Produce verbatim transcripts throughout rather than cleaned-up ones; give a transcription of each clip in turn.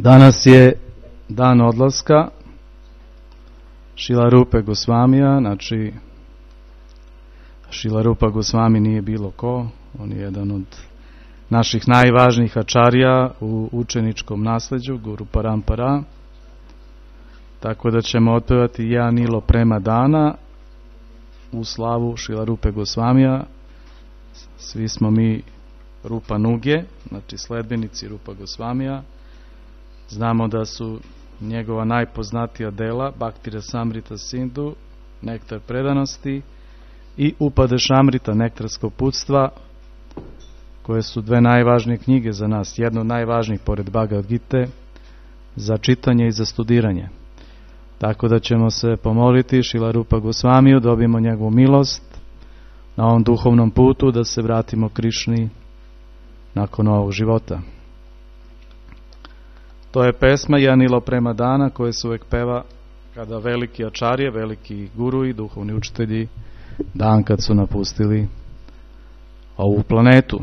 Danas je dan odlaska Šilarupe Gosvamija. Znači, Šilarupa Gosvami nije bilo ko, on je jedan od naših najvažnijih ačarija u učeničkom nasleđu, Guru Parampara. Tako da ćemo otpevati Ja Nilo Prema Dana u slavu Šilarupe Gosvamija. Svi smo mi Rupa Nuge, znači sledbenici Rupa Gosvamija. Znamo da su njegova najpoznatija dela Bhakti Rasamrita Sindhu, Nektar predanosti, i Upadešamrita, Nektarsko uputstva, koje su dve najvažnije knjige za nas, jedno od najvažnijih pored Bhagavad Gite, za čitanje i za studiranje. Tako da ćemo se pomoliti Šilarupa Gosvamiju, dobijemo njegovu milost na ovom duhovnom putu, da se vratimo Krišni nakon ovog života. To je pesma Ja Nilo Prema Dana, koja se uvek peva kada veliki ačarije, veliki guru i duhovni učitelji dan kad su napustili ovu planetu.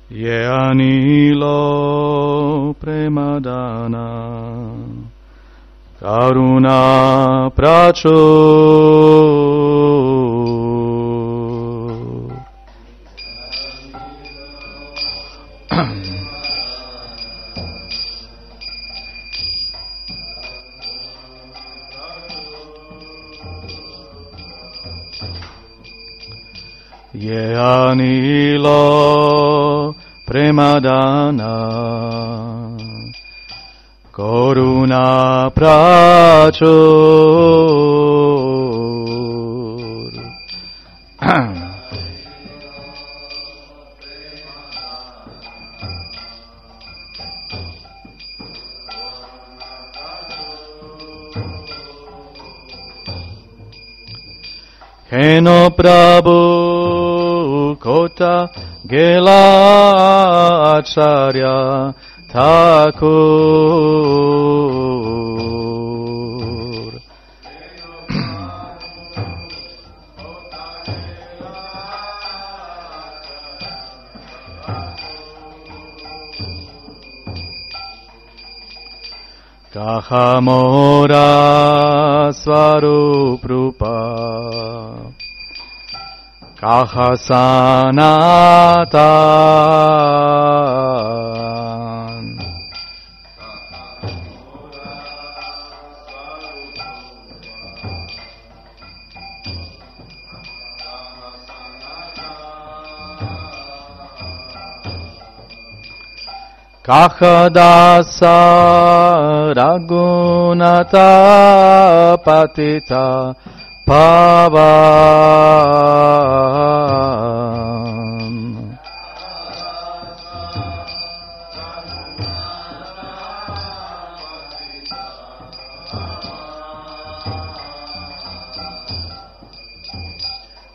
Ja Nilo Prema Dana Karuna Prachur Ja Nilo Prema Dana Karuna Prachur Heno Prabhu Kota Gela Acharya Thakur Kahamora Swarup Rupa Kaha Sanatan Kaha Dasa Raghunata Patita Pavan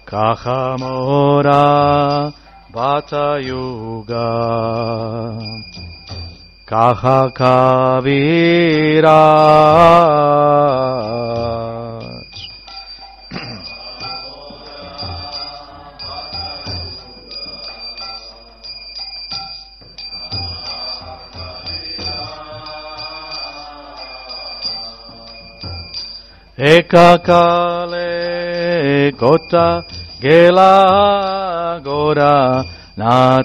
Kahamora Bata Yuga Kaha Kaviraj Eka Kale Kota Gela Gora Nataraj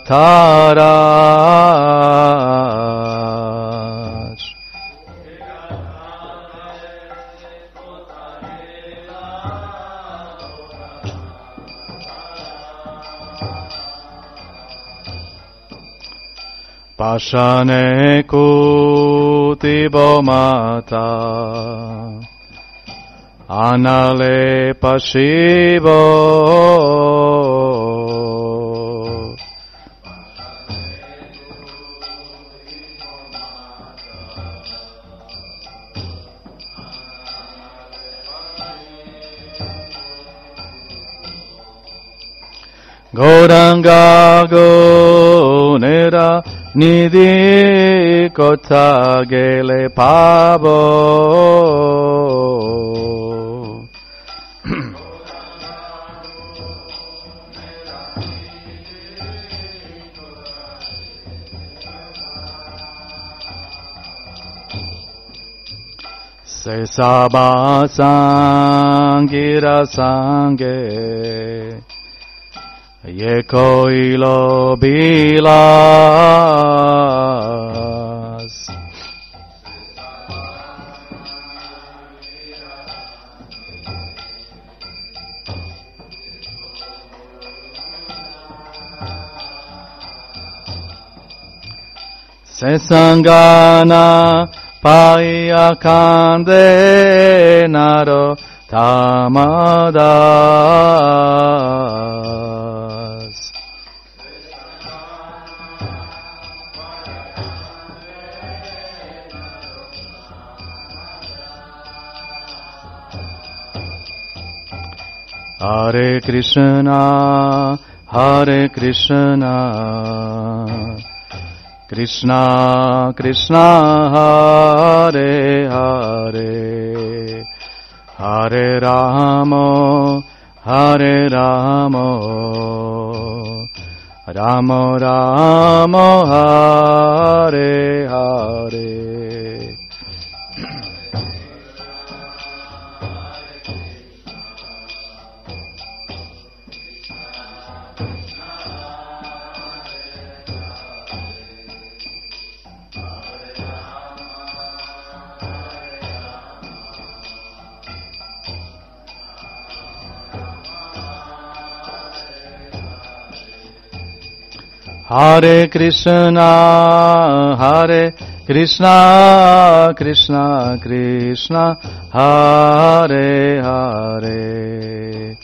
Pashane Kuti Bomata Anale Pashivo Gauranga Gonera Nidhi Kota Gele Pabo Se sabha sangira sange ye koilo bilas. Se sangana Paya kande naro tamadas. Hare Krishna, Hare Krishna, Krishna, Krishna, Hare Hare, Hare Rama, Hare Rama, Rama Rama, Hare Hare. Hare Krishna, Hare Krishna, Krishna Krishna, Hare Hare,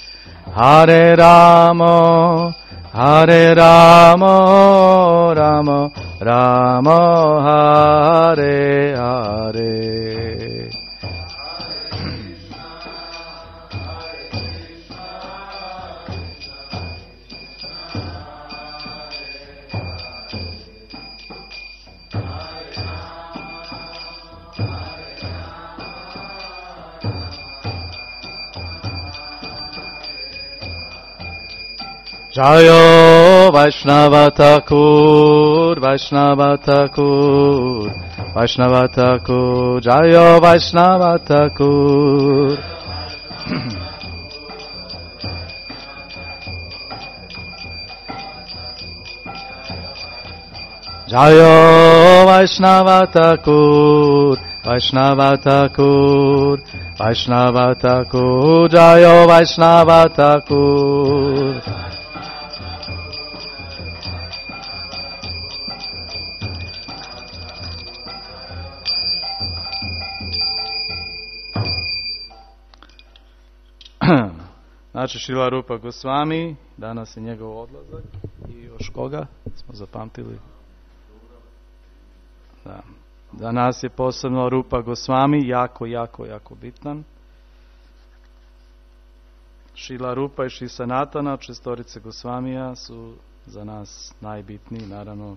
Hare Rama, Hare Rama, Rama Rama, Hare Hare. Jayo Vaishnava Thakur, Vaishnava Thakur, Vaishnava Thakur, Jayo Vaishnava Thakur. Jayo Vaishnava Thakur, Vaishnava Thakur, Vaishnava Thakur, Jayo Vaishnava Thakur. Znači Šrila Rupa Gosvami, danas je njegov odlazak i još koga smo zapamtili? Da. Za nas je posebno Rupa Gosvami jako, jako, jako bitan. Šrila Rupa i Šri Sanatana, šestorice Gosvamija, su za nas najbitniji, naravno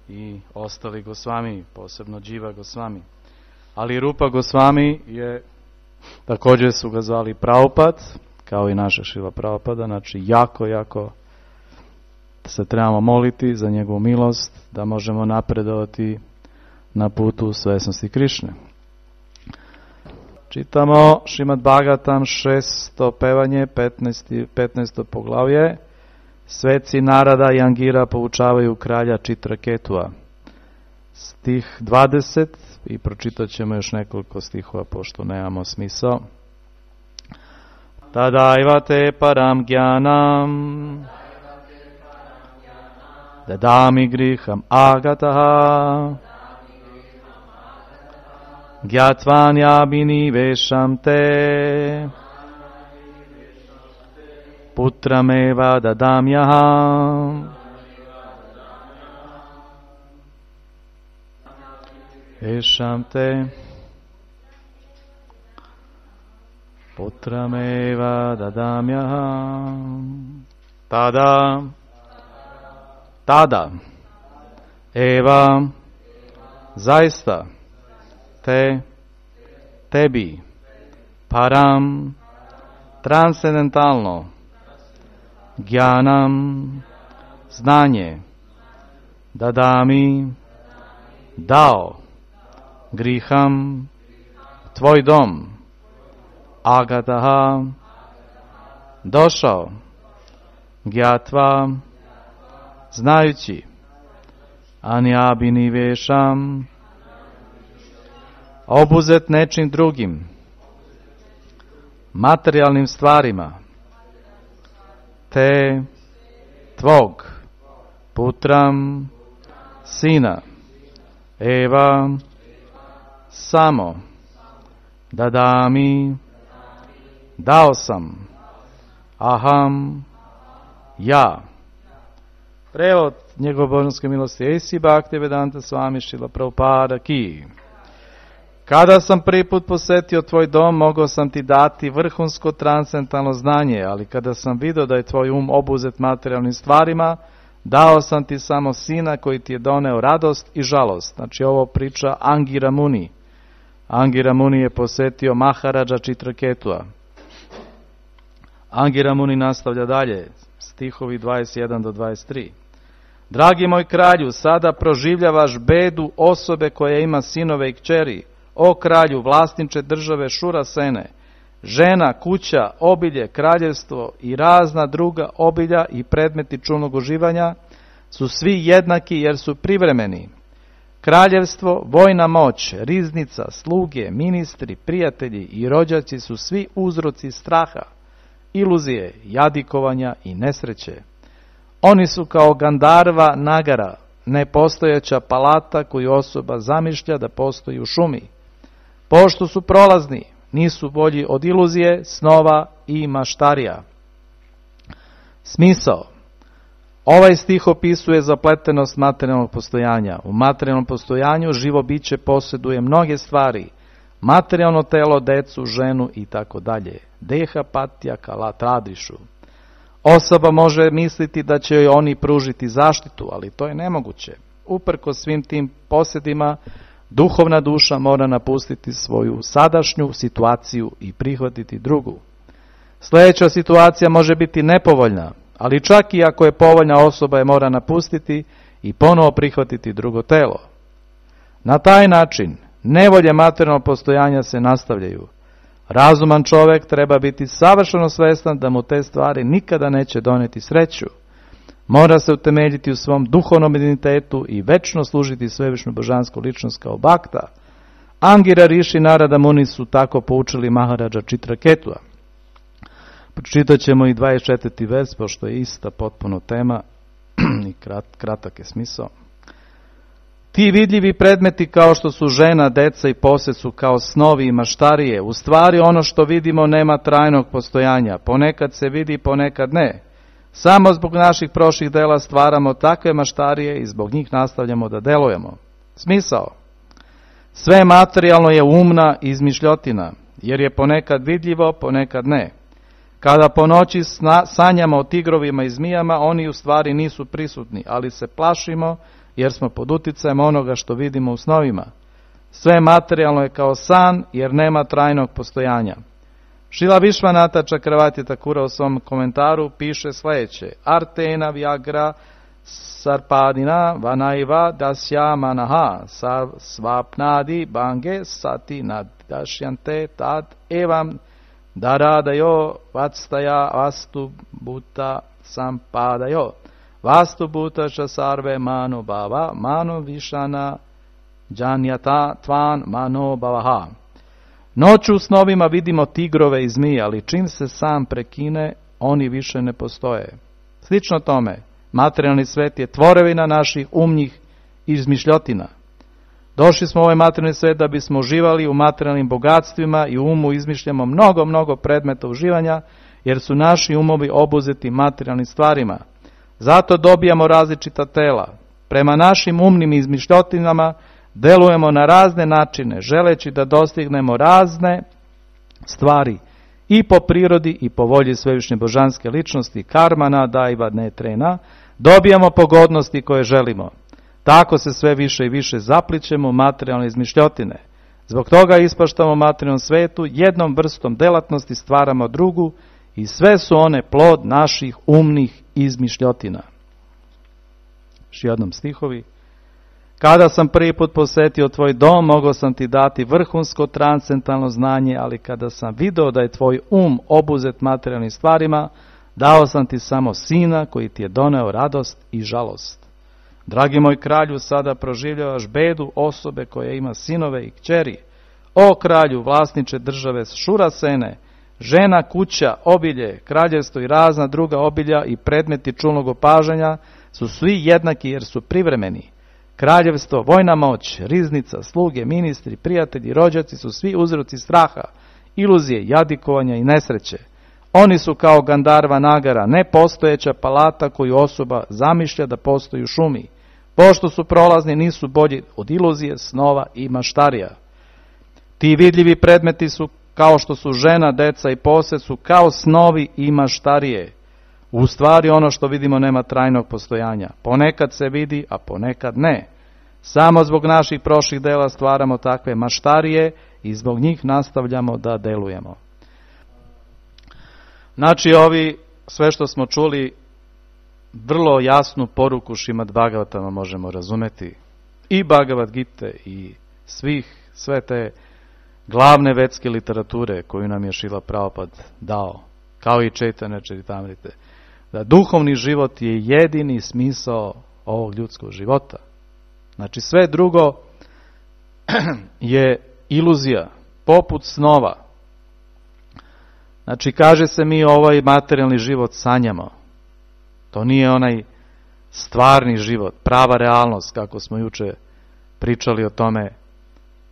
i ostali Gosvami, posebno Dživa Gosvami. Ali Rupa Gosvami je, također su ga zvali Prabhupada, kao i naša Šrila Prabhupada, znači jako, jako se trebamo moliti za njegovu milost, da možemo napredovati na putu svesnosti Krišne. Čitamo Šrimad Bhagavatam šesto pevanje, petnaesto poglavlje. Sveci Narada i Angira poučavaju kralja Čitraketua. Stih dvadeset, i pročitat ćemo još nekoliko stihova pošto nemamo smisao. Tadaiva te param gyanam dadami griham agataha gyatvanyabi vesham te putrameva dadamyaham vesham te putrameva dadamyaham tada tada eva zaista te tebi param transcendentalno gyanam znanje dadami dao griham tvoj dom, agataha, došao, gyatva, znajući, anjabinivešam, obuzet nečim drugim, materijalnim stvarima, te tvog, putram, sina, eva, samo, dadami, dao sam, aham, ja. Prevod njegove božanske milosti Esi Bhaktivedanta Swami Srila Prabhupada Ki. Kada sam prvi put posetio tvoj dom, mogao sam ti dati vrhunsko transcendentalno znanje, ali kada sam vidio da je tvoj um obuzet materijalnim stvarima, dao sam ti samo sina koji ti je doneo radost i žalost. Znači ovo priča Angira Muni. Angira Muni je posetio Maharaja Chitraketua. Angira Muni nastavlja dalje, stihovi dvadeset jedan do dvadeset tri. Dragi moj kralju, sada proživljavaš bedu osobe koja ima sinove i kćeri. O kralju, vlasniče države Šurasene, žena, kuća, obilje, kraljevstvo i razna druga obilja i predmeti čulnog uživanja su svi jednaki jer su privremeni. Kraljevstvo, vojna moć, riznica, sluge, ministri, prijatelji i rođaci su svi uzroci straha, iluzije, jadikovanja i nesreće. Oni su kao Gandarva Nagara, nepostojeća palata koju osoba zamišlja da postoji u šumi. Pošto su prolazni, nisu bolji od iluzije, snova i maštarija. Smisao. Ovaj stih opisuje zapletenost materijalnog postojanja. U materijalnom postojanju živo biće posjeduje mnoge stvari, materijalno telo, decu, ženu i tako dalje. Deha patja kala tradišu. Osoba može misliti da će joj oni pružiti zaštitu, ali to je nemoguće. Uprkos svim tim posjedima, duhovna duša mora napustiti svoju sadašnju situaciju i prihvatiti drugu. Sljedeća situacija može biti nepovoljna, ali čak i ako je povoljna, osoba je mora napustiti i ponovo prihvatiti drugo telo. Na taj način nevolje materijalnog postojanja se nastavljaju. Razuman čovjek treba biti savršeno svjestan da mu te stvari nikada neće donijeti sreću. Mora se utemeljiti u svom duhovnom identitetu i večno služiti svevišnju božansku ličnost kao bakta. Angira Rishi i Narada Muni su tako poučili Maharaja Chitraketua. Pročitat ćemo i dvadeset četvrti vers, pošto je ista potpuno tema i krat, kratak je smisao. Ti vidljivi predmeti kao što su žena, deca i posjed su kao snovi i maštarije. U stvari ono što vidimo nema trajnog postojanja. Ponekad se vidi, ponekad ne. Samo zbog naših prošlih dela stvaramo takve maštarije i zbog njih nastavljamo da delujemo. Smisao. Sve materijalno je umna izmišljotina, jer je ponekad vidljivo, ponekad ne. Kada po noći sna, sanjamo o tigrovima i zmijama, oni u stvari nisu prisutni, ali se plašimo jer smo pod uticajem onoga što vidimo u snovima. Sve materijalno je kao san jer nema trajnog postojanja. Šrila Višvanata Čakravarti Thakura u svom komentaru piše sljedeće. Artena Vyagra Sarpadina Vanaiva Dasya Manaha Svapnadi Bange Sati Nadašyante Tad Evam Daradayo Vatstaya Vastu Bhuta Sampadayo Vastu Bhuta Sarve Mano Bhava Mano Vishana Janyata Tvan Mano Bhavaha. Noću u snovima vidimo tigrove i zmije, ali čim se sam prekine, oni više ne postoje. Slično tome, materijalni svet je tvorevina naših umnih izmišljotina. Došli smo u ovaj materijalni svet da bismo uživali u materijalnim bogatstvima i u umu izmišljamo mnogo, mnogo predmeta uživanja, jer su naši umovi obuzeti materijalnim stvarima. Zato dobijamo različita tela. Prema našim umnim izmišljotinama delujemo na razne načine, želeći da dostignemo razne stvari i po prirodi i po volji svevišnje božanske ličnosti, karmana, daiva, netrena, dobijamo pogodnosti koje želimo. Tako se sve više i više zaplićemo u materijalne izmišljotine. Zbog toga ispaštamo u materijalnom svetu, jednom vrstom delatnosti stvaramo drugu i sve su one plod naših umnih izmišljotina. Još jednom stihovi. Kada sam prvi put posjetio tvoj dom, mogao sam ti dati vrhunsko transcendentalno znanje, ali kada sam video da je tvoj um obuzet materijalnim stvarima, dao sam ti samo sina koji ti je doneo radost i žalost. Dragi moj kralju, sada proživljavaš bedu osobe koja ima sinove i kćeri. O kralju, vlasniče države Šurasene, žena, kuća, obilje, kraljevstvo i razna druga obilja i predmeti čulnog opažanja su svi jednaki jer su privremeni. Kraljevstvo, vojna moć, riznica, sluge, ministri, prijatelji, rođaci su svi uzroci straha, iluzije, jadikovanja i nesreće. Oni su kao Gandarva Nagara, nepostojeća palata koju osoba zamišlja da postoji u šumi. Pošto su prolazni, nisu bolji od iluzije, snova i maštarija. Ti vidljivi predmeti su kao što su žena, deca i posed, su kao snovi i maštarije. U stvari ono što vidimo nema trajnog postojanja. Ponekad se vidi, a ponekad ne. Samo zbog naših prošlih dela stvaramo takve maštarije i zbog njih nastavljamo da delujemo. Znači, ovi, sve što smo čuli, vrlo jasnu poruku Šrimad Bhagavatama možemo razumeti. I Bhagavad Gite i svih, sve te glavne vedske literature koju nam je Šrila Prabhupada dao, kao i Chaitanya Charitamrite, da duhovni život je jedini smisao ovog ljudskog života. Znači, sve drugo je iluzija, poput snova. Znači, kaže se mi ovaj materijalni život sanjamo. To nije onaj stvarni život, prava realnost, kako smo juče pričali o tome,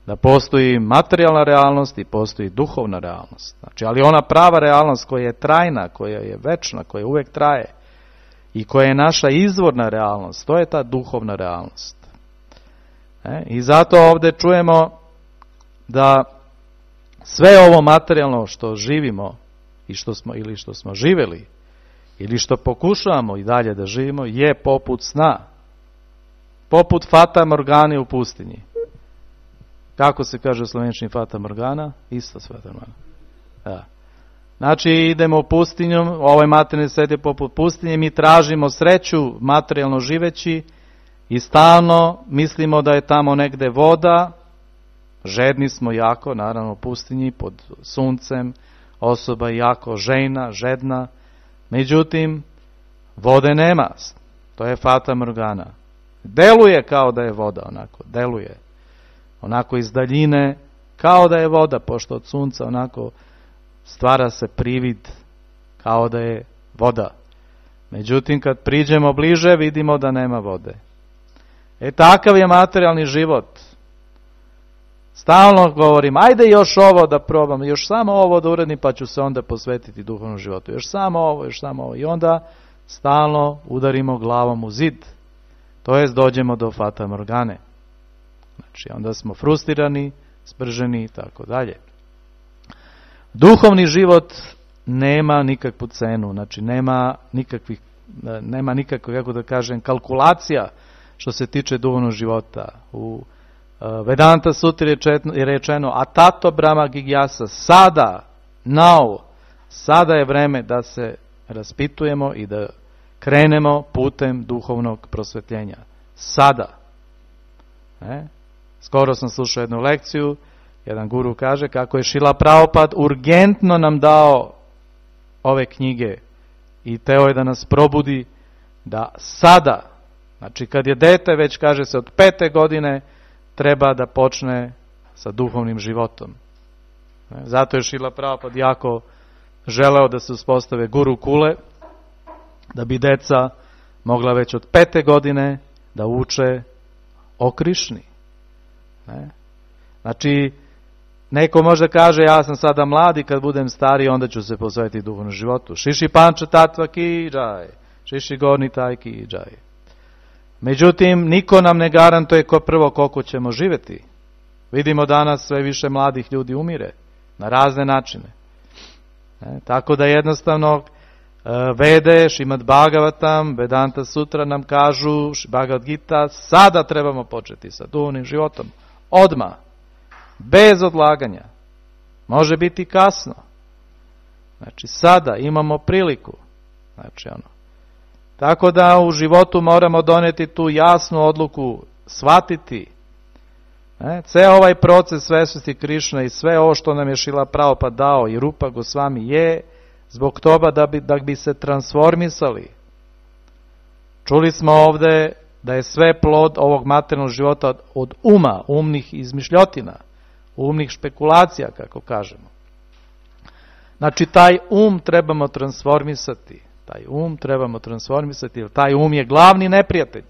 da postoji materijalna realnost i postoji duhovna realnost. Znači, ali ona prava realnost koja je trajna, koja je večna, koja uvijek traje i koja je naša izvorna realnost, to je ta duhovna realnost. E? I zato ovdje čujemo da sve ovo materijalno što živimo i što smo, ili što smo živjeli, ili što pokušavamo i dalje da živimo, je poput sna. Poput Fata Morgane u pustinji. Kako se kaže u slovenčini Fata Morgana? Isto s Fata Morgana. Da. Znači, idemo u pustinju, ovaj materijalni svijet je poput pustinje, mi tražimo sreću materijalno živeći i stalno mislimo da je tamo negde voda, žedni smo jako, naravno u pustinji, pod suncem, osoba je jako žejna, žedna, međutim, vode nema, to je Fata Morgana. Deluje kao da je voda, onako, deluje. Onako iz daljine, kao da je voda, pošto od sunca onako stvara se privid kao da je voda. Međutim, kad priđemo bliže, vidimo da nema vode. E, takav je materijalni život. Stalno govorim, ajde još ovo da probam, još samo ovo da uradim, pa ću se onda posvetiti duhovnom životu. Još samo ovo, još samo ovo. I onda stalno udarimo glavom u zid. To jest, dođemo do Fata Morgane. Znači, onda smo frustrirani, sprženi i tako dalje. Duhovni život nema nikakvu cenu, znači nema nikakvih, nema nikakve, kako da kažem, kalkulacija što se tiče duhovnog života. U Vedanta Sutri je rečeno Atato Brahma Gigyasa, sada, now, sada je vreme da se raspitujemo i da krenemo putem duhovnog prosvetljenja. Sada. Ne? Skoro sam slušao jednu lekciju, jedan guru kaže kako je Šrila Prabhupada urgentno nam dao ove knjige i teo je da nas probudi da sada, znači kad je dete, već kaže se od pete godine, treba da počne sa duhovnim životom. Zato je Šrila Prabhupada jako želeo da se uspostave guru kule, da bi deca mogla već od pete godine da uče o Krišni. Ne? Znači, neko može kaže, ja sam sada mlad i kad budem stari, onda ću se posvetiti duhovnom životu. Šiši panča tatva ki džaj, šiši gorni taj ki džaj. Međutim, niko nam ne garantuje ko prvo koliko ćemo živjeti. Vidimo danas sve više mladih ljudi umire na razne načine. Ne? Tako da jednostavno Vede, Šrimad Bhagavatam, Vedanta Sutra nam kažu, Bhagavad Gita, sada trebamo početi sa duhovnim životom. Odmah. Bez odlaganja. Može biti kasno. Znači, sada imamo priliku. Znači, ono. Tako da u životu moramo doneti tu jasnu odluku shvatiti. Ne? Ceo ovaj proces svesnosti Krišne i sve ovo što nam je Šrila Prabhupada dao i Rupa Gosvami je zbog toga da bi, da bi se transformisali. Čuli smo ovde da je sve plod ovog materijalnog života od uma, umnih izmišljotina, umnih špekulacija, kako kažemo. Znači, taj um trebamo transformisati. Taj um trebamo transformisati, jer taj um je glavni neprijatelj.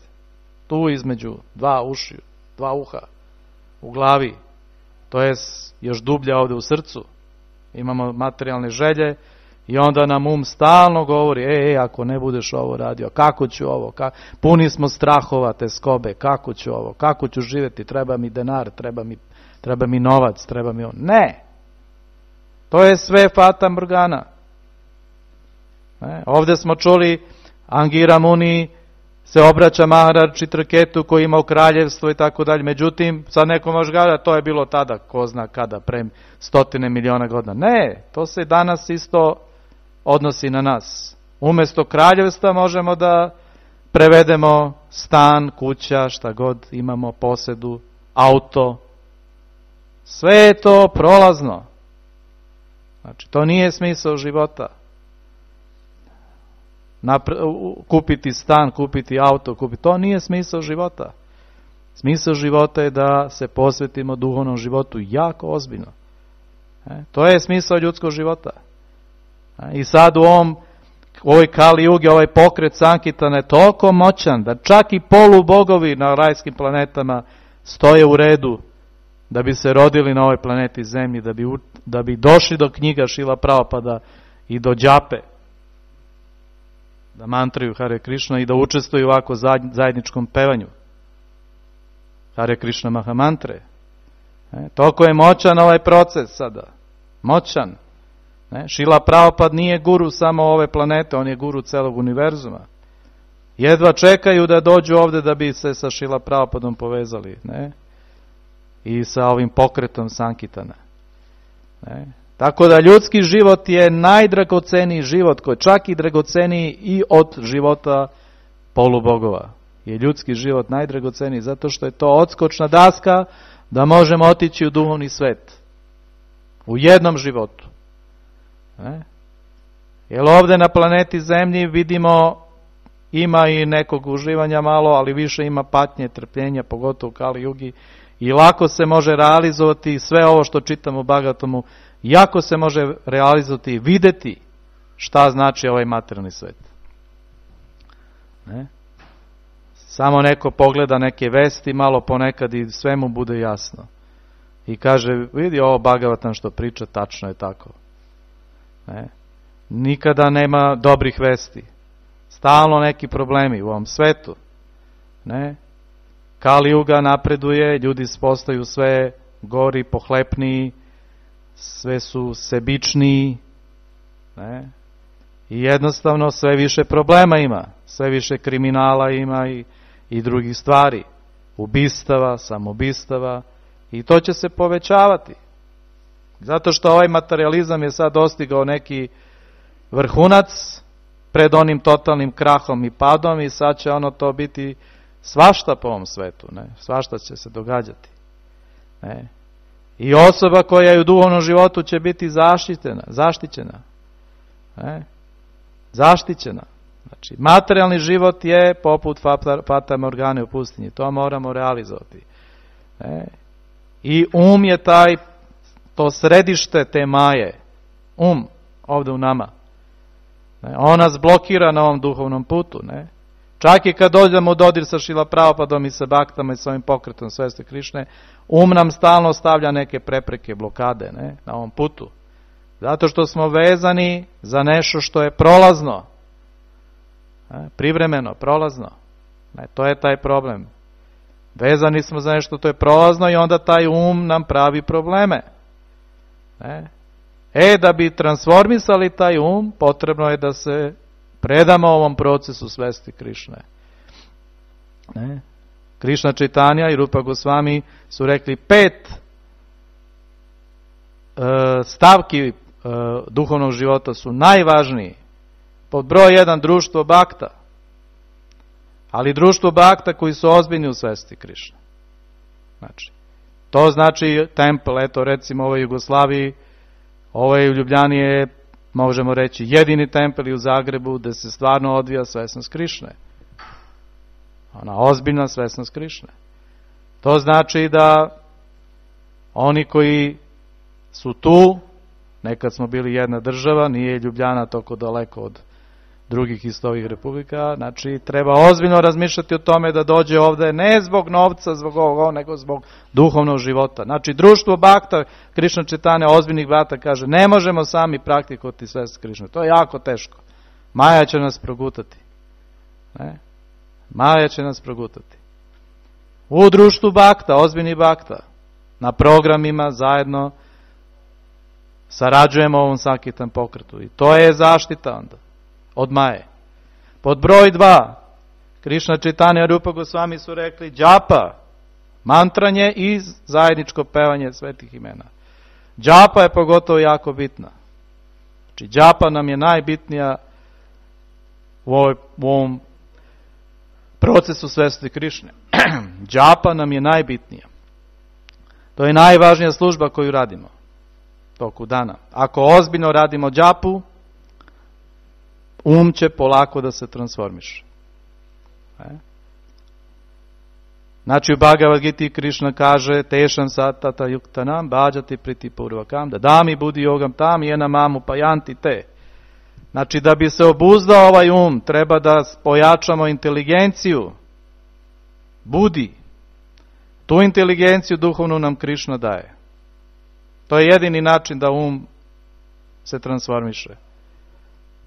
Tu između dva uši, dva uha, u glavi. To je još dublje ovde u srcu. Imamo materijalne želje i onda nam um stalno govori, e, e, ako ne budeš ovo radio, kako ću ovo, ka... puni smo strahova te skobe, kako ću ovo, kako ću živjeti, treba mi denar, treba mi, treba mi novac, treba mi on. Ne! To je sve fata morgana. Ne? Ovdje smo čuli, Angira Muni se obraća Maharaj Chitraketu koji imao kraljevstvo i tako dalje. Međutim, sad neko može gledati, to je bilo tada, ko zna kada, pre stotine miliona godina. Ne, to se danas isto odnosi na nas. Umjesto kraljevstva možemo da prevedemo stan, kuća, šta god imamo, posedu, auto. Sve je to prolazno. Znači, to nije smisao života. Napre, kupiti stan, kupiti auto, kupiti, to nije smisao života. Smisao života je da se posvetimo duhovnom životu jako ozbiljno. E, to je smisao ljudskog života. E, I sad u ovom, u ovoj Kali Jugi, ovaj pokret Sankirtana je toliko moćan da čak i polubogovi na rajskim planetama stoje u redu da bi se rodili na ovoj planeti Zemlji, da bi, da bi došli do knjiga Šrila Prabhupada i do džape, da mantraju Hare Krishna i da učestvuju u ovako zajedničkom pevanju Hare Krishna Mahamantre. E, toliko je moćan ovaj proces sada. Moćan. Ne? Šrila Prabhupada nije guru samo ove planete, on je guru celog univerzuma. Jedva čekaju da dođu ovde da bi se sa Šrila Prabhupadom povezali. Ne? I sa ovim pokretom Sankirtana. Ne? Tako da ljudski život je najdragoceniji život, koji čak i dragoceniji i od života polubogova. Je ljudski život najdragoceniji, zato što je to odskočna daska da možemo otići u duhovni svet. U jednom životu. Ne? Jer ovdje na planeti Zemlji vidimo, ima i nekog uživanja malo, ali više ima patnje, trpljenja, pogotovo u Kali Jugi. I lako se može realizovati sve ovo što čitamo u Bhagavatamu, jako se može realizovati i videti šta znači ovaj materijalni svet. Ne? Samo neko pogleda neke vesti, malo ponekad i sve mu bude jasno. I kaže, vidi ovo Bhagavatam što priča, tačno je tako. Ne? Nikada nema dobrih vesti. Stalno neki problemi u ovom svetu. Ne? Kali Juga napreduje, ljudi postaju sve gori, pohlepniji, sve su sebičniji, ne? I jednostavno sve više problema ima, sve više kriminala ima i, i drugih stvari, ubistava, samobistava, i to će se povećavati. Zato što ovaj materializam je sad dostigao neki vrhunac pred onim totalnim krahom i padom i sad će ono to biti svašta po ovom svetu, ne? Svašta će se događati. Ne? I osoba koja je u duhovnom životu će biti zaštićena, zaštićena. Ne? Zaštićena. Znači, materijalni život je poput Fata Morgane u pustinji, to moramo realizovati. Ne? I um je taj, to središte te maje, um, ovdje u nama. Ne? On nas blokira na ovom duhovnom putu, ne? Čak i kad dođemo u dodir sa Šrila Prabhupadom i sa Baktama i sa ovim pokretom svesti Krišne, um nam stalno stavlja neke prepreke, blokade, ne, na ovom putu. Zato što smo vezani za nešto što je prolazno. Ne, privremeno, prolazno. Ne, to je taj problem. Vezani smo za nešto što je prolazno i onda taj um nam pravi probleme. Ne. E, da bi transformisali taj um, potrebno je da se predamo ovom procesu svesti Krišne. Ne? Krišna Čaitanja i Rupa Gosvami su rekli pet e, stavki e, duhovnog života su najvažniji. Pod broj jedan društvo bakta. ali društvo bakta koji su ozbiljni u svesti Krišne. Znači, to znači tempel, eto recimo u ovoj Jugoslaviji, ovaj u Ljubljani je, možemo reći, jedini tempel i u Zagrebu gde se stvarno odvija svesnost Krišne. Ona ozbiljna svesnost Krišne. To znači da oni koji su tu, nekad smo bili jedna država, nije Ljubljana toliko daleko od drugih isto ovih republika, znači treba ozbiljno razmišljati o tome da dođe ovde ne zbog novca, zbog ovoga, nego zbog duhovnog života. Znači društvo bakta, Krišna Čitanja, ozbiljnih brata kaže, ne možemo sami praktikovati svest Krišne, to je jako teško. Maja će nas progutati. Ne? Maja će nas progutati. U društvu bakta, ozbiljnih bakta, na programima zajedno sarađujemo u ovom Sankitam pokretu i to je zaštita onda od Maje. Pod broj dva, Krišna Čitanja i Rupa Gosvami su rekli džapa, mantranje i zajedničko pevanje svetih imena. Džapa je pogotovo jako bitna. Znači džapa nam je najbitnija u, ovoj, u ovom procesu svesti Krišne. Džapa nam je najbitnija. To je najvažnija služba koju radimo toku dana. Ako ozbiljno radimo džapu, um će polako da se transformiše. E? Znači u Bhagavad Giti Krišna kaže tešam satata yuktanam bhađati priti purvakam da dami budi yogam tam jena mamu pajanti te. Znači da bi se obuzdao ovaj um treba da pojačamo inteligenciju budi. Tu inteligenciju duhovnu nam Krišna daje. To je jedini način da um se transformiše.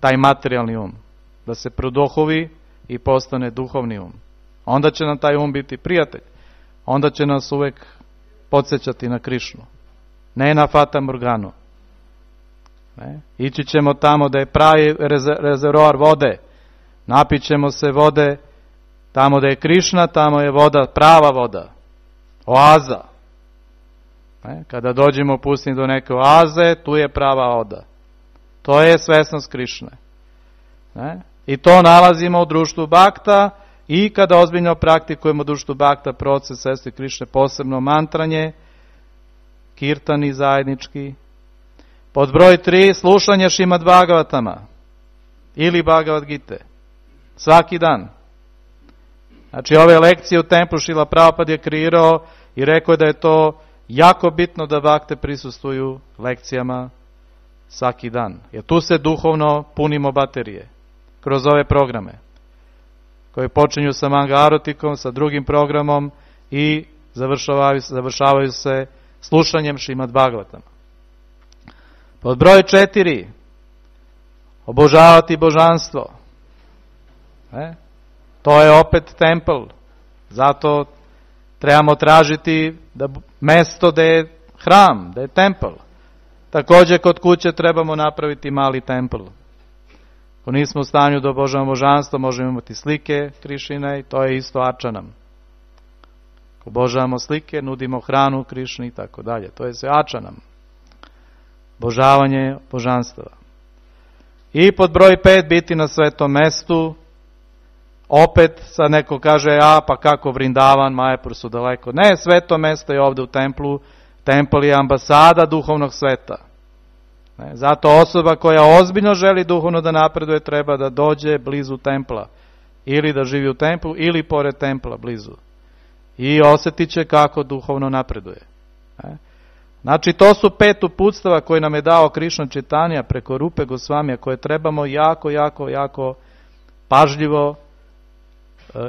Taj materijalni um. Da se produhovi i postane duhovni um. Onda će nam taj um biti prijatelj. Onda će nas uvek podsjećati na Krišnu. Ne na Fata Morganu. Ne? Ići ćemo tamo da je pravi rezervoar vode. Napit ćemo se vode. Tamo da je Krišna, tamo je voda, prava voda. Oaza. Ne? Kada dođemo u pustinju do neke oaze, tu je prava voda. To je svesnost Krišne. Ne? I to nalazimo u društvu bakta i kada ozbiljno praktikujemo u društvu bakta proces svesti Krišne, posebno mantranje, kirtani zajednički. Pod broj tri, slušanje Šrimad Bhagavatama ili Bhagavad Gite. Svaki dan. Znači ove lekcije u templu Šrila Prabhupada je kreirao i rekao da je to jako bitno da bakte prisustvuju lekcijama svaki dan. Jer tu se duhovno punimo baterije kroz ove programe koje počinju sa Manga Arotikom, sa drugim programom i završavaju, završavaju se slušanjem Šrimad Bhagavatama. Pod broj četiri, obožavati božanstvo. E? To je opet tempel. Zato trebamo tražiti da mesto da je hram, da je tempel. Također kod kuće trebamo napraviti mali tempel. Ako nismo u stanju da obožavamo božanstvo, možemo imati slike Krišine i to je isto ačanam. Ako obožavamo slike, nudimo hranu Krišni i tako dalje. To je sve ačanam. Obožavanje božanstva. I pod broj pet, biti na svetom mestu. Opet sad neko kaže, a pa kako Vrindavan, Majapur su daleko. Ne, sveto mesto je ovde u templu. Tempel je ambasada duhovnog sveta. Ne, zato osoba koja ozbiljno želi duhovno da napreduje treba da dođe blizu templa. Ili da živi u templu, ili pored templa blizu. I osjetit će kako duhovno napreduje. Ne. Znači to su pet uputstava koje nam je dao Krišna Čitanja preko Rupe Gosvamija koje trebamo jako, jako, jako pažljivo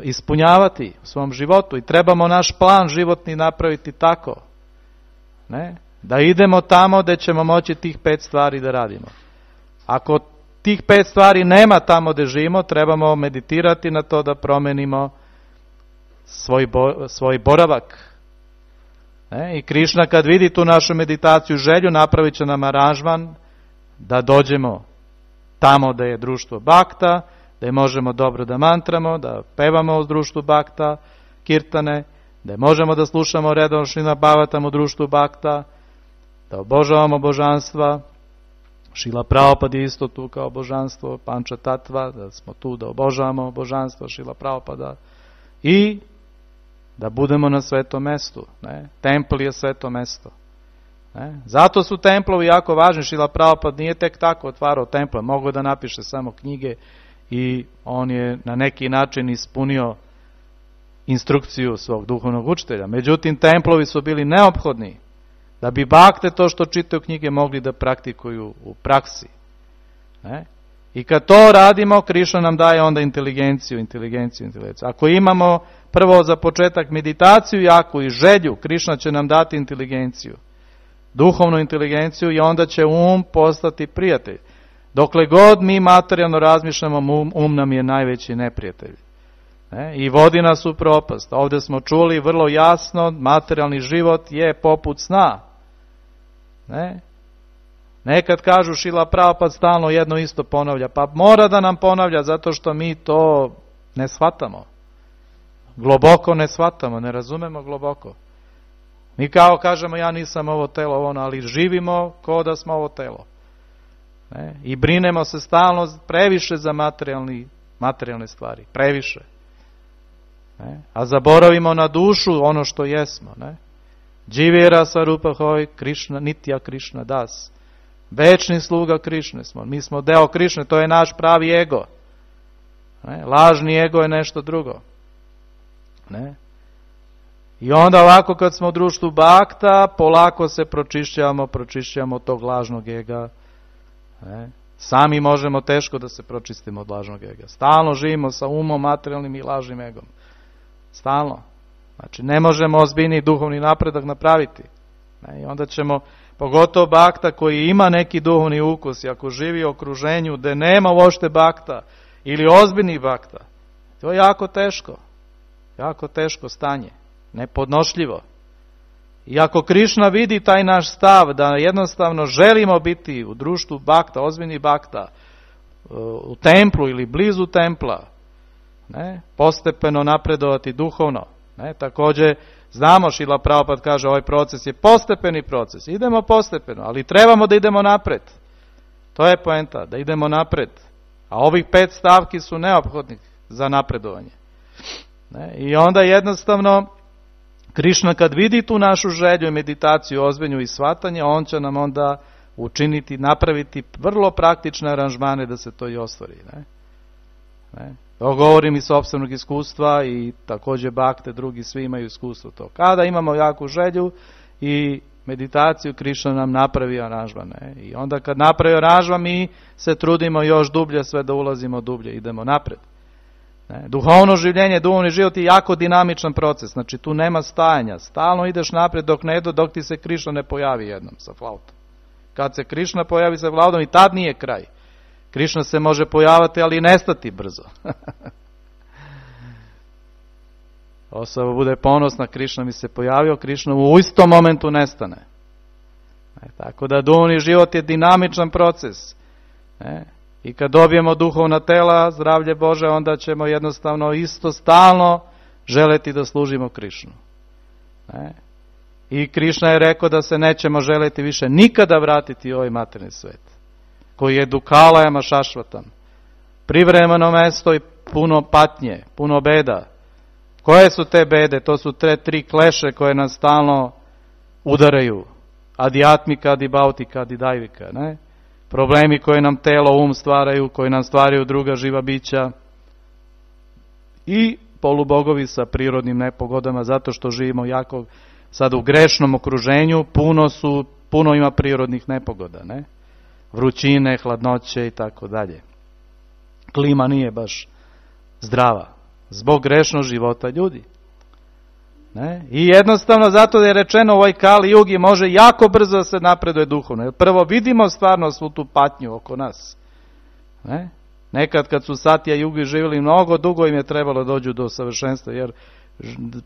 ispunjavati u svom životu i trebamo naš plan životni napraviti tako. Ne? Da idemo tamo gde ćemo moći tih pet stvari da radimo. Ako tih pet stvari nema tamo gde živimo, trebamo meditirati na to da promenimo svoj, bo, svoj boravak. Ne? I Krišna kad vidi tu našu meditaciju, želju, napravit će nam aranžman da dođemo tamo gde je društvo bakta, da možemo dobro da mantramo, da pevamo u društvu bakta, kirtane, da možemo da slušamo redovno Šrimad Bhagavatam u društvu bakta, da obožavamo božanstva. Šrila Prabhupada je isto tu kao božanstvo, Panča Tatva, da smo tu da obožavamo božanstvo Šrila Prabhupada. i da budemo na svetom mestu. Ne? Templ je sveto mesto. Ne? Zato su templovi jako važni. Šrila Prabhupada nije tek tako otvarao temple, mogao da napiše samo knjige i on je na neki način ispunio instrukciju svog duhovnog učitelja. Međutim, templovi su bili neophodni da bi bakte to što čitaju knjige mogli da praktikuju u praksi. Ne? I kad to radimo, Krišna nam daje onda inteligenciju, inteligenciju, inteligenciju. Ako imamo prvo za početak meditaciju jaku i želju, Krišna će nam dati inteligenciju, duhovnu inteligenciju i onda će um postati prijatelj. Dokle god mi materijalno razmišljamo, um, um nam je najveći neprijatelj. Ne? I vodi nas u propast. Ovdje smo čuli vrlo jasno, materijalni život je poput sna. Ne? Nekad kažu Šrila Prabhupada stalno jedno isto ponavlja, pa mora da nam ponavlja zato što mi to ne shvatamo. Globoko ne shvatamo, ne razumemo globoko. Mi kao kažemo ja nisam ovo telo, ono, ali živimo kao da smo ovo telo. Ne? I brinemo se stalno previše za materijalni, materijalne stvari, previše. Ne? A zaboravimo na dušu ono što jesmo. Ne? Dživira Svarupa Hoj, Krišna, Nitya Krišna Das. Večni sluga Krišne smo. Mi smo deo Krišne, to je naš pravi ego. Ne? Lažni ego je nešto drugo. Ne? I onda ovako kad smo u društvu bakta, polako se pročišćavamo, pročišćavamo tog lažnog ega. Ne? Sami možemo teško da se pročistimo od lažnog ega. Stalno živimo sa umom, materijalnim i lažnim egom. Stalno. Znači ne možemo ozbiljni duhovni napredak napraviti. Ne? I onda ćemo, pogotovo bakta koji ima neki duhovni ukus, i ako živi u okruženju gde nema uopšte bakta ili ozbiljnih bakta, to je jako teško. Jako teško stanje. Nepodnošljivo. I ako Krišna vidi taj naš stav da jednostavno želimo biti u društvu bakta, ozbiljnih bakta, u templu ili blizu templa, ne, postepeno napredovati duhovno. Ne, također znamo, Šrila Prabhupada kaže, ovaj proces je postepeni proces. Idemo postepeno, ali trebamo da idemo napred. To je poenta, da idemo napred. A ovih pet stavki su neophodni za napredovanje. Ne, i onda jednostavno Krišna kad vidi tu našu želju i meditaciju, ozbiljnu i shvatanje, on će nam onda učiniti, napraviti vrlo praktične aranžmane da se to i ostvari. Ne? Ne? To govorim iz sopstvenog iskustva i također bakte, drugi svi imaju iskustvo to. Kada imamo jaku želju i meditaciju, Krišna nam napravi aranžman. Ne? I onda kad napravi aranžman, mi se trudimo još dublje, sve da ulazimo dublje, idemo napred. Ne? Duhovno življenje, duhovni život je jako dinamičan proces, znači tu nema stajanja, stalno ideš naprijed dok ne do, dok ti se Krišna ne pojavi jednom sa flautom. Kad se Krišna pojavi sa flautom i tad nije kraj. Krišna se može pojavati, ali i nestati brzo. Osoba bude ponosna, Krišna mi se pojavio, Krišna u istom momentu nestane. Ne? Tako da duhovni život je dinamičan proces. Ne? I kad dobijemo duhovna tela, zdravlje Bože, onda ćemo jednostavno isto stalno želeti da služimo Krišnu. Ne? I Krišna je rekao da se nećemo želeti više nikada vratiti u ovaj materijalni svet, koji je dukalajama šašvatam. Privremeno mesto i puno patnje, puno beda. Koje su te bede? To su te tri kleše koje nas stalno udaraju. Adijatmika, adibautika, adidajvika, ne? Problemi koje nam telo, um stvaraju, koji nam stvaraju druga živa bića i polubogovi sa prirodnim nepogodama, zato što živimo jako sad u grešnom okruženju, puno su, puno ima prirodnih nepogoda, ne? Vrućine, hladnoće i tako dalje. Klima nije baš zdrava, zbog grešnog života ljudi. Ne? I jednostavno zato da je rečeno u ovoj Kali Jugi može jako brzo da se napreduje duhovno. Prvo vidimo stvarno svu tu patnju oko nas. Ne? Nekad kad su Satya Jugi živjeli mnogo, dugo im je trebalo dođu do savršenstva, jer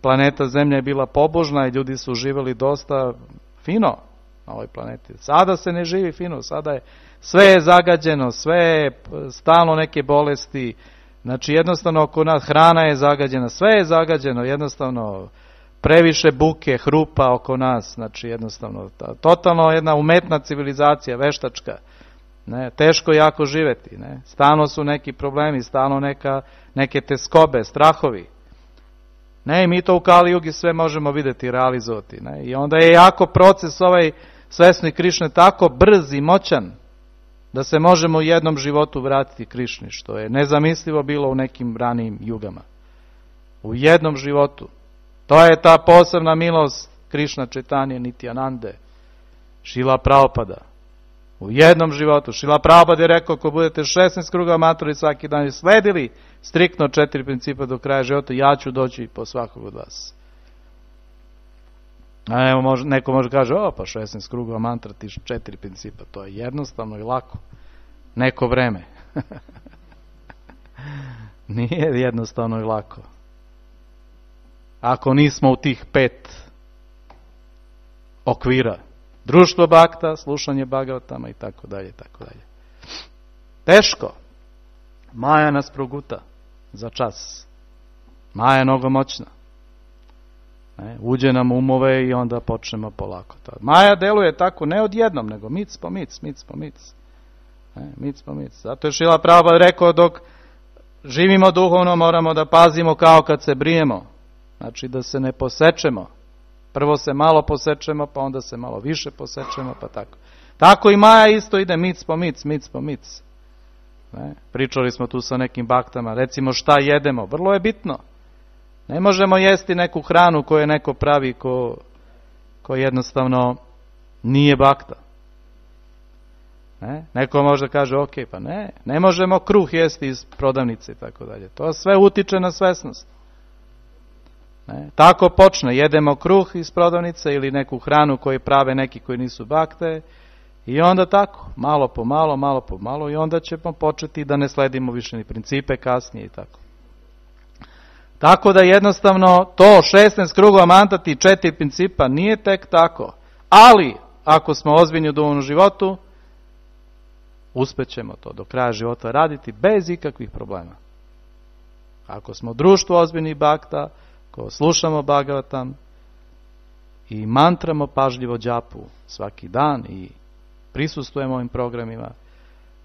planeta Zemlja je bila pobožna i ljudi su živjeli dosta fino na ovoj planeti. Sada se ne živi fino, sada je sve je zagađeno, sve je stalno neke bolesti. Znači jednostavno oko nas hrana je zagađena, sve je zagađeno, jednostavno previše buke, hrupa oko nas, znači jednostavno totalno jedna umetna civilizacija, veštačka. Ne, teško jako živeti, ne. Stalno su neki problemi, stalno neka, neke teskobe, strahovi. Ne, mi to u Kali Jugi sve možemo vidjeti i realizovati. Ne? I onda je jako proces ovaj svesni Krišne tako brz i moćan da se možemo u jednom životu vratiti Krišni, što je nezamislivo bilo u nekim ranijim jugama. U jednom životu. To je ta posebna milost Krišna Čaitanje Nityanande, Šrila Prabhupada. U jednom životu. Šrila Prabhupada je rekao, ako budete šesnaest kruga mantrali svaki dan i sledili striktno četiri principa do kraja života, ja ću doći po svakog od vas. A evo, može, neko može kaže, o pa šesnaest kruga mantra ti četiri principa, to je jednostavno i lako. Neko vreme. Nije jednostavno i lako. Ako nismo u tih pet okvira. Društvo bakta, slušanje Bhagavatama i tako dalje, tako dalje. Teško. Maja nas proguta za čas. Maja je mnogo moćna. Ne, uđe nam umove i onda počnemo polako. Maja deluje tako ne odjednom, nego mic po mic, mic po mic. Ne, mic po mic. Zato je Šrila Prabhupada rekao, dok živimo duhovno moramo da pazimo kao kad se brijemo. Znači da se ne posečemo. Prvo se malo posečemo, pa onda se malo više posečemo, pa tako. Tako i Maja isto ide mic po mic, mic po mic. Ne? Pričali smo tu sa nekim baktama, recimo šta jedemo, vrlo je bitno. Ne možemo jesti neku hranu koju je neko pravi, ko, ko jednostavno nije bakta. Ne? Neko može kaže, ok, pa ne, ne možemo kruh jesti iz prodavnice i tako dalje. To sve utiče na svesnost. Ne? Tako počne, jedemo kruh iz prodavnice ili neku hranu koju prave neki koji nisu bakte i onda tako, malo po malo, malo po malo i onda ćemo početi da ne sledimo više ni principe kasnije i tako. Tako da jednostavno to šesnaest krugova mantati i četiri principa nije tek tako, ali ako smo ozbiljni u duhovnom životu, uspećemo to do kraja života raditi bez ikakvih problema. Ako smo društvo ozbiljnih bakta, ko slušamo Bhagavatam i mantramo pažljivo džapu svaki dan i prisustvujemo ovim programima,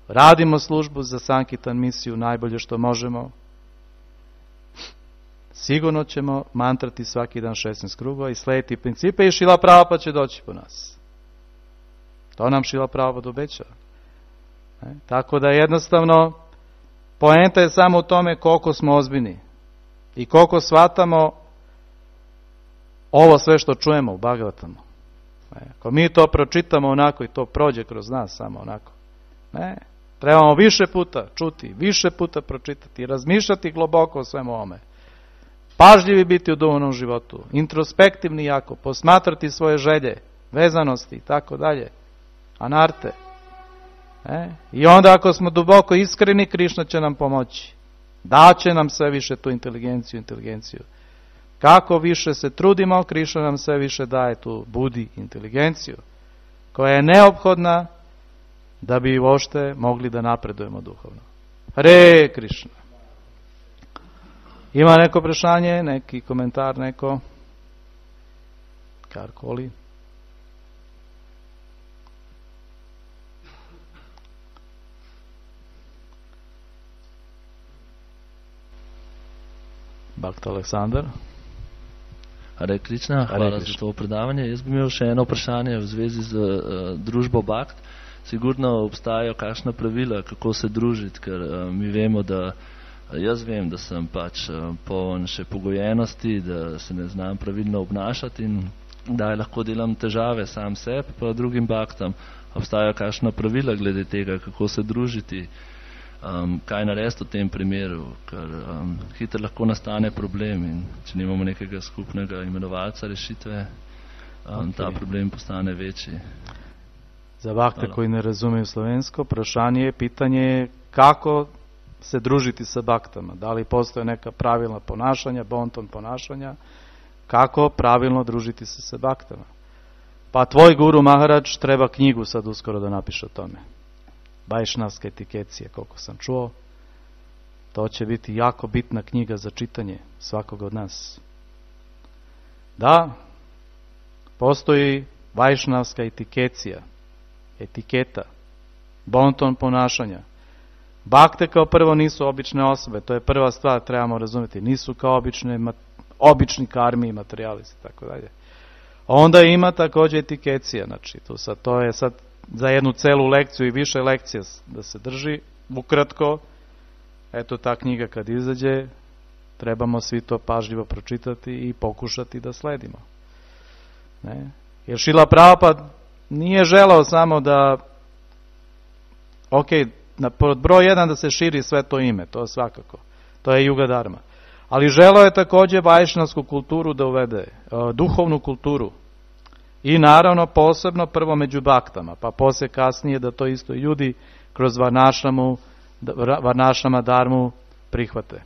radimo službu za Sankirtan misiju najbolje što možemo, sigurno ćemo mantrati svaki dan šesnaest krugova i slediti principe i Šrila Prabhupada će doći po nas. To nam Šrila Prabhupada obeća. E, tako da jednostavno poenta je samo u tome koliko smo ozbiljni i koliko shvatamo ovo sve što čujemo u Bhagavatamu. E, ako mi to pročitamo onako i to prođe kroz nas samo onako. Ne, trebamo više puta čuti, više puta pročitati, razmišljati globoko o svemu ovome. Pažljivi biti u duhovnom životu, introspektivni jako, posmatrati svoje želje, vezanosti i tako dalje, anarte. E? I onda ako smo duboko iskreni, Krišna će nam pomoći. Daće nam sve više tu inteligenciju, inteligenciju. Kako više se trudimo, Krišna nam sve više daje tu budi inteligenciju, koja je neophodna da bi uopšte mogli da napredujemo duhovno. Hare Krišna. Ima neko prešanje, neki komentar, neko? Karkoli? Bhakta Aleksandar. Hare Krišna, hvala za to predavanje. Jaz bi imel še eno vprašanje v zvezi z uh, družbo Bhakt. Sigurno obstajajo kakšna pravila, kako se družiti, ker uh, mi vemo, da jaz vem, da sem pač uh, poln še pogojenosti, da se ne znam pravilno obnašati in da lahko delam težave sam sebi, pa drugim Bhaktam. Obstajajo kakšna pravila glede tega, kako se družiti, um, kaj narediti v tem primeru, ker um, hitro lahko nastane problem in če nimamo nekega skupnega imenovalca rešitve, um, okay. Ta problem postane večji. Za Bhakte koji ne razumeju slovensko, vprašanje je, pitanje je kako se družiti sa Bhaktama. Da li postoje neka pravilna ponašanja, bonton ponašanja, kako pravilno družiti se sa Bhaktama. Pa tvoj guru Maharaj treba knjigu sad uskoro da napiše o tome. Vajšnavska etikecija, koliko sam čuo. To će biti jako bitna knjiga za čitanje svakog od nas. Da, postoji vajšnavska etikecija, etiketa, bonton ponašanja. Bhakte kao prvo nisu obične osobe, to je prva stvar, trebamo razumjeti. Nisu kao obične obični karmi i materialisti i tako dalje. Onda ima također etikecija, znači to, sad, to je sad za jednu celu lekciju i više lekcija da se drži, ukratko, eto ta knjiga kad izađe, trebamo svi to pažljivo pročitati i pokušati da sledimo. Ne? Jer Šrila Prabhupada nije želeo samo da, ok, na pod broj jedan da se širi sve to ime, to svakako, to je Juga Dharma. Ali želeo je također vajšnavsku kulturu da uvede, duhovnu kulturu. I naravno posebno prvo među baktama, pa poslije kasnije da to isto ljudi kroz varnašramu, varnašrama dharmu prihvate.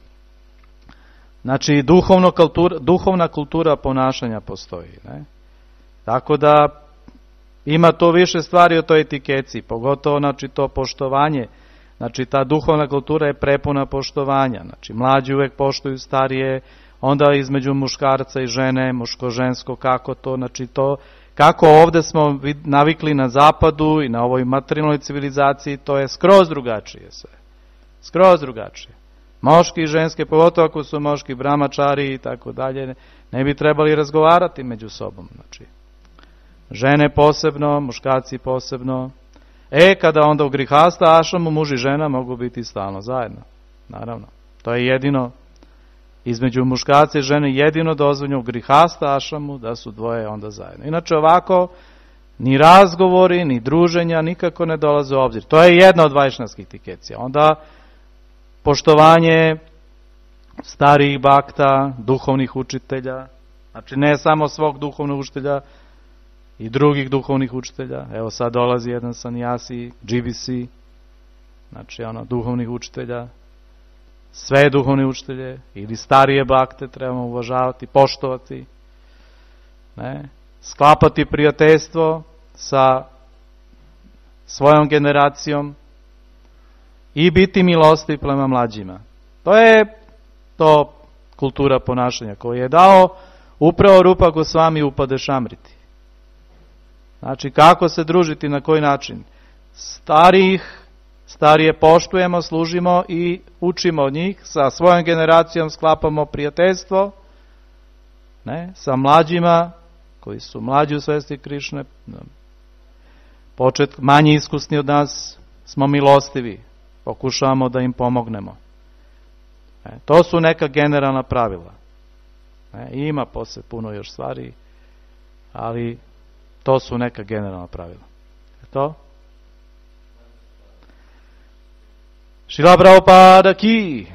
Znači duhovno kultura, duhovna kultura ponašanja postoji. Ne? Tako da ima to više stvari o toj etikeci, pogotovo znači to poštovanje. Znači ta duhovna kultura je prepuna poštovanja. Znači mlađi uvijek poštuju starije, onda između muškarca i žene, muško-žensko, kako to, znači to, kako ovdje smo navikli na zapadu i na ovoj materijalnoj civilizaciji, to je skroz drugačije sve. Skroz drugačije. Moški i ženske, pogotovo ako su moški brahmačari i tako dalje, ne bi trebali razgovarati među sobom. Znači, žene posebno, muškarci posebno. E, kada onda u grihasta ašramu muž i žena mogu biti stalno zajedno. Naravno. To je jedino, između muškarca i žene jedino dozvoljeno u grihasta ašramu da su dvoje onda zajedno. Inače ovako, ni razgovori, ni druženja nikako ne dolaze u obzir. To je jedna od vajšnavskih etikecija. Onda poštovanje starijih bakta, duhovnih učitelja, znači ne samo svog duhovnog učitelja, i drugih duhovnih učitelja. Evo sad dolazi jedan sanjasi, G B C, znači ono, duhovnih učitelja, sve duhovne učitelje, ili starije bakte trebamo uvažavati, poštovati, ne? Sklapati prijateljstvo sa svojom generacijom i biti milostiv prema mlađima. To je to kultura ponašanja koju je dao upravo Rupa Gosvami u Upadešamriti. Znači, kako se družiti, na koji način? Starijih, starije poštujemo, služimo i učimo od njih, sa svojom generacijom sklapamo prijateljstvo, ne, sa mlađima, koji su mlađi u svesti Krišne, počet, manje iskusni od nas, smo milostivi, pokušavamo da im pomognemo. E, to su neka generalna pravila. E, ima posle puno još stvari, ali to su neka generalna pravila. Je to? Šrila Prabhupada ki!